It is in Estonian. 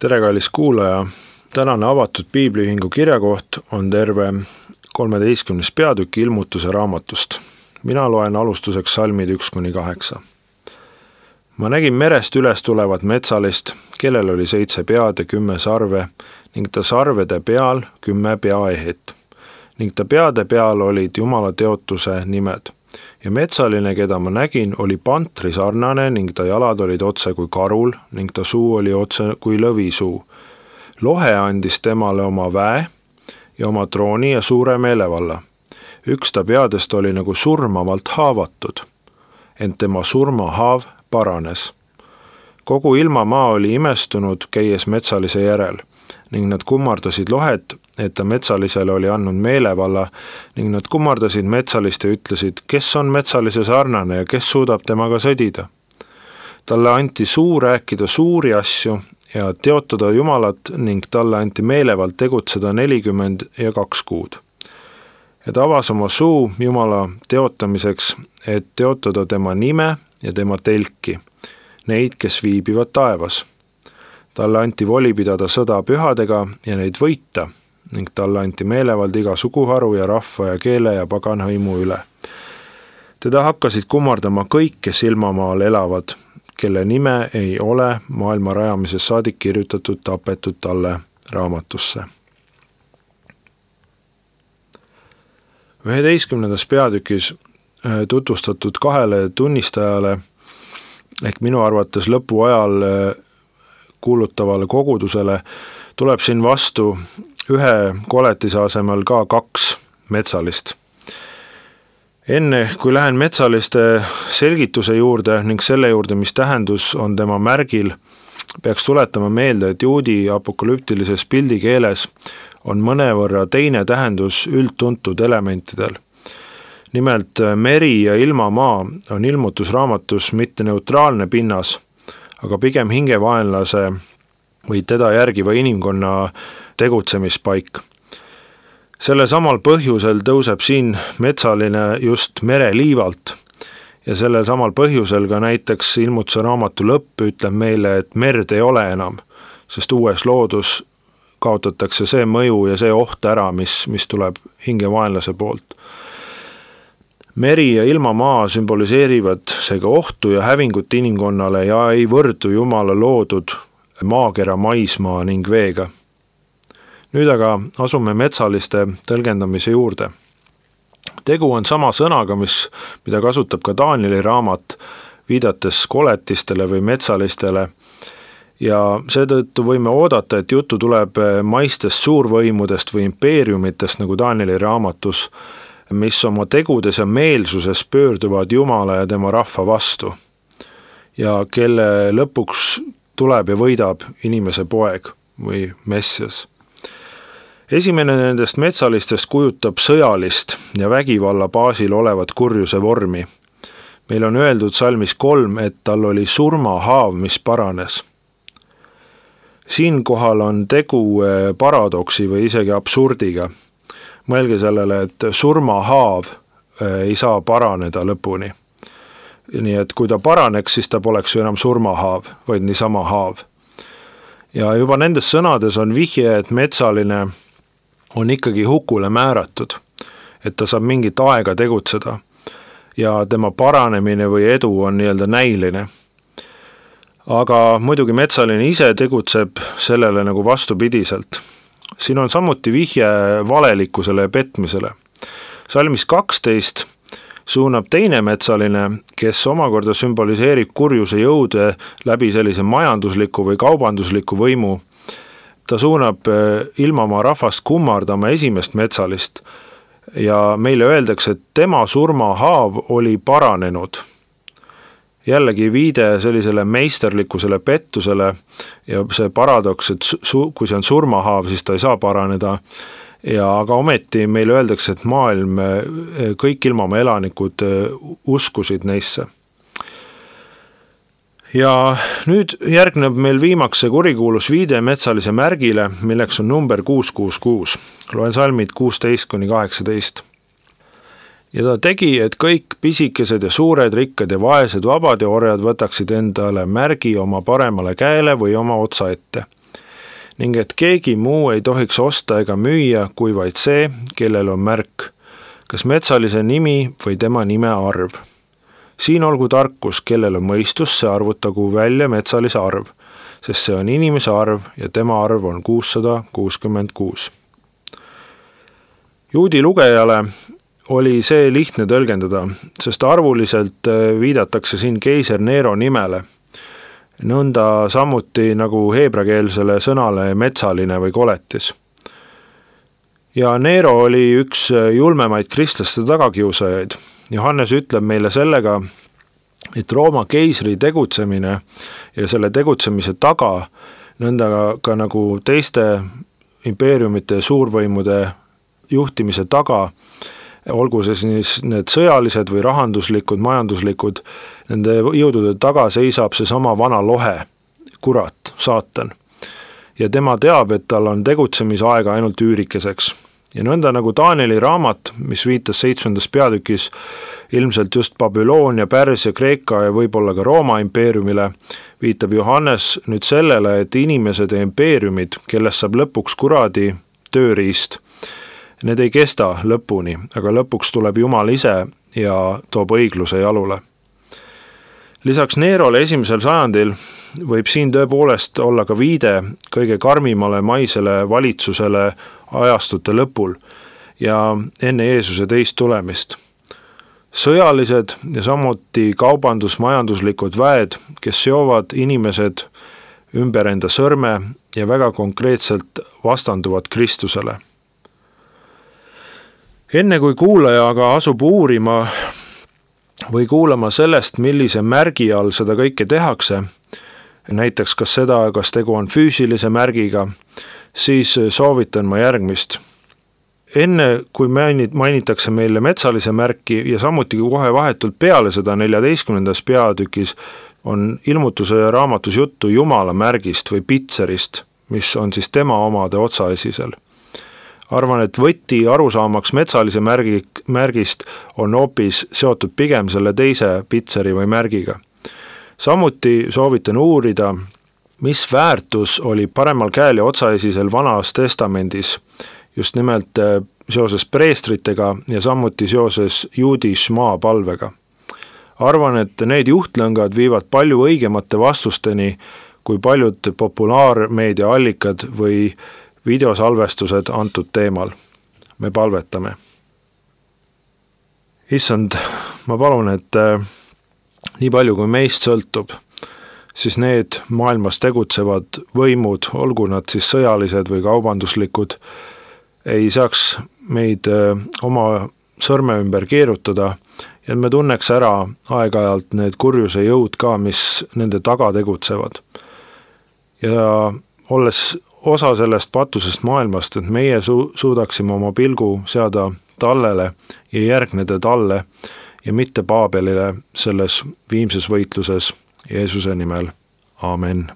Tere, kallis kuulaja! Tänane avatud piibliühingu kirjakoht on terve 13. peatükk Ilmutuse raamatust. Mina loen alustuseks salmid 1-8. Ma nägin merest üles tulevat metsalist, kellel oli 7 pead ja 10 sarve, ning ta sarvede peal 10 peaehet. Ning ta peade peal olid Jumala teotuse nimed. Ja metsaline, keda ma nägin, oli pantri sarnane ning ta jalad olid otse kui karul ning ta suu oli otse kui lõvisuu. Lohe andis temale oma väe ja oma trooni ja suure meelevalla. Üks ta peadest oli nagu surmavalt haavatud, ent tema surmahaav paranes. Kogu ilmamaa oli imestunud, käies metsalise järel, ning nad kummardasid lohet, et ta metsalisele oli andnud meelevalla, ning nad kummardasid metsalist ja ütlesid, kes on metsalise sarnane ja kes suudab temaga sõdida. Talle anti suu rääkida suuri asju ja teotada Jumalat ning talle anti meelevalt tegutseda 42 kuud. Ja ta avas oma suu Jumala teotamiseks, et teotada tema nime ja tema telki, neid, kes viibivad taevas. Talle anti voli pidada sõda pühadega ja neid võita, ning talle anti meelevald iga suguharu ja rahva ja keele ja paganhõimu üle. Teda hakkasid kummardama kõik, kes ilmamaal elavad, kelle nime ei ole maailma rajamisest saadik kirjutatud tapetud talle raamatusse. 11. peatükis tutvustatud 2 tunnistajale ehk minu arvates lõpuajal kuulutavale kogudusele tuleb siin vastu ühe koletise asemel ka 2 metsalist. Enne kui lähen metsaliste selgituse juurde ning selle juurde, mis tähendus on tema märgil, peaks tuletama meelde, et juudi apokalüptilises pildikeeles on mõnevõrra teine tähendus üldtuntud elementidel. Nimelt meri ja ilmamaa on ilmutusraamatus mitte neutraalne pinnas, aga pigem hingevaenlase või teda järgiva inimkonna tegutsemispaik. Selle samal põhjusel tõuseb siin metsaline just mereliivalt ja sellel samal põhjusel ka näiteks ilmutuse raamatu lõpp ütleb meile, et merd ei ole enam, sest uues loodus kaotatakse see mõju ja see oht ära, mis tuleb hingevaenlase poolt. Meri ja ilmamaa sümboliseerivad seega ohtu ja hävingut inimkonnale ja ei võrdu Jumala loodud maakera, maismaa ning veega. Nüüd aga asume metsaliste tõlgendamise juurde. Tegu on sama sõnaga, mida kasutab ka Danieli raamat, viidates koletistele või metsalistele, ja seetõttu võime oodata, et juttu tuleb maistest suurvõimudest või impeeriumitest nagu Danieli raamatus, mis oma tegudes ja meelsuses pöörduvad Jumala ja tema rahva vastu ja kelle lõpuks tuleb ja võidab inimese poeg või messias. Esimene nendest metsalistest kujutab sõjalist ja vägivalla baasil olevat kurjuse vormi. Meil on öeldud salmis 3, et tal oli surmahaav, mis paranes. Siinkohal on tegu paradoksi või isegi absurdiga. Mõelge sellele, et surmahaav ei saa paraneda lõpuni. Nii et kui ta paraneks, siis ta poleks ju enam surmahaav, vaid niisama haav. Ja juba nendes sõnades on vihje, et metsaline on ikkagi hukule määratud, et ta saab mingit aega tegutseda ja tema paranemine või edu on nii-öelda näiline. Aga muidugi metsaline ise tegutseb sellele nagu vastupidiselt. Siin on samuti vihje valelikkusele ja petmisele. Salmis 12 suunab teine metsaline, kes omakorda sümboliseerib kurjuse jõude läbi sellise majandusliku või kaubandusliku võimu. Ta suunab ilmamaa rahvast kummardama esimest metsalist ja meile öeldakse, et tema surmahaav oli paranenud. Jällegi viide sellisele meisterlikkusele pettusele ja see paradoks, et kui see on surmahaav, siis ta ei saa paraneda. Aga ometi meile öeldakse, et maailm, kõik ilmamaa elanikud uskusid neisse. Ja nüüd järgneb meil viimaks see kurikuulus viide metsalise märgile, milleks on number 666. Loen salmid 16-18. Ja ta tegi, et kõik pisikesed ja suured, rikkad ja vaesed, vabad ja orjad võtaksid endale märgi oma paremale käele või oma otsa ette. ning et keegi muu ei tohiks osta ega müüa, kui vaid see, kellel on märk, kas metsalise nimi või tema nime arv. Siin olgu tarkus, kellel on mõistus, see arvutagu välja metsalise arv, sest see on inimese arv ja tema arv on 666. Juudi lugejale oli see lihtne tõlgendada, sest arvuliselt viidatakse siin keiser Nero nimele, nõnda samuti nagu heebrakeelsele sõnale metsaline või koletis. Ja Nero oli üks julmemaid kristlaste tagakiusajaid. Johannes ütleb meile sellega, et Rooma keisri tegutsemine ja selle tegutsemise taga, nõnda ka nagu teiste impeeriumite ja suurvõimude juhtimise taga, olgu see siis need sõjalised või rahanduslikud, majanduslikud, nende jõudude taga seisab see sama vana lohe, kurat, saatan. Ja tema teab, et tal on tegutsemisaega ainult üürikeseks. Ja nõnda nagu Danieli raamat, mis viitas 7. peatükis ilmselt just Babyloonia, Pärsia, Kreeka ja võib-olla ka Rooma impeeriumile, viitab Johannes nüüd sellele, et inimesed ja impeeriumid, kellest saab lõpuks kuradi tööriist, need ei kesta lõpuni, aga lõpuks tuleb Jumal ise ja toob õigluse jalule. Lisaks Nerole 1. sajandil võib siin tõepoolest olla ka viide kõige karmimale maisele valitsusele ajastute lõpul ja enne Jeesuse teist tulemist. Sõjalised ja samuti kaubandus-majanduslikud väed, kes seovad inimesed ümber enda sõrme ja väga konkreetselt vastanduvad Kristusele. Enne kui kuulaja aga asub uurima või kuulama sellest, millise märgi all seda kõike tehakse, näiteks kas tegu on füüsilise märgiga, siis soovitan ma järgmist. Enne kui mainitakse meile metsalise märki ja samuti kohe vahetult peale seda 14. peatükis on ilmutuse raamatus juttu Jumala märgist või pitserist, mis on siis tema omade otsaesisel. Arvan, et võti arusaamaks metsalise märgist on hoopis seotud pigem selle teise pitseri või märgiga. Samuti soovitan uurida, mis väärtus oli paremal käel ja otsaesisel Vanas testamendis, just nimelt seoses preestritega ja samuti seoses juudi šmaa palvega. Arvan, et need juhtlõngad viivad palju õigemate vastusteni kui paljud populaarmeedia allikad või videosalvestused antud teemal. Me palvetame. Issand, ma palun, et nii palju kui meist sõltub, siis need maailmas tegutsevad võimud, olgu nad siis sõjalised või kaubanduslikud, ei saaks meid oma sõrme ümber keerutada ja me tunneks ära aeg-ajalt need kurjuse jõud ka, mis nende taga tegutsevad. Ja olles osa sellest patusest maailmast, et meie suudaksime oma pilgu seada tallele ja järgneda talle ja mitte Paabelile selles viimses võitluses Jeesuse nimel. Aamen.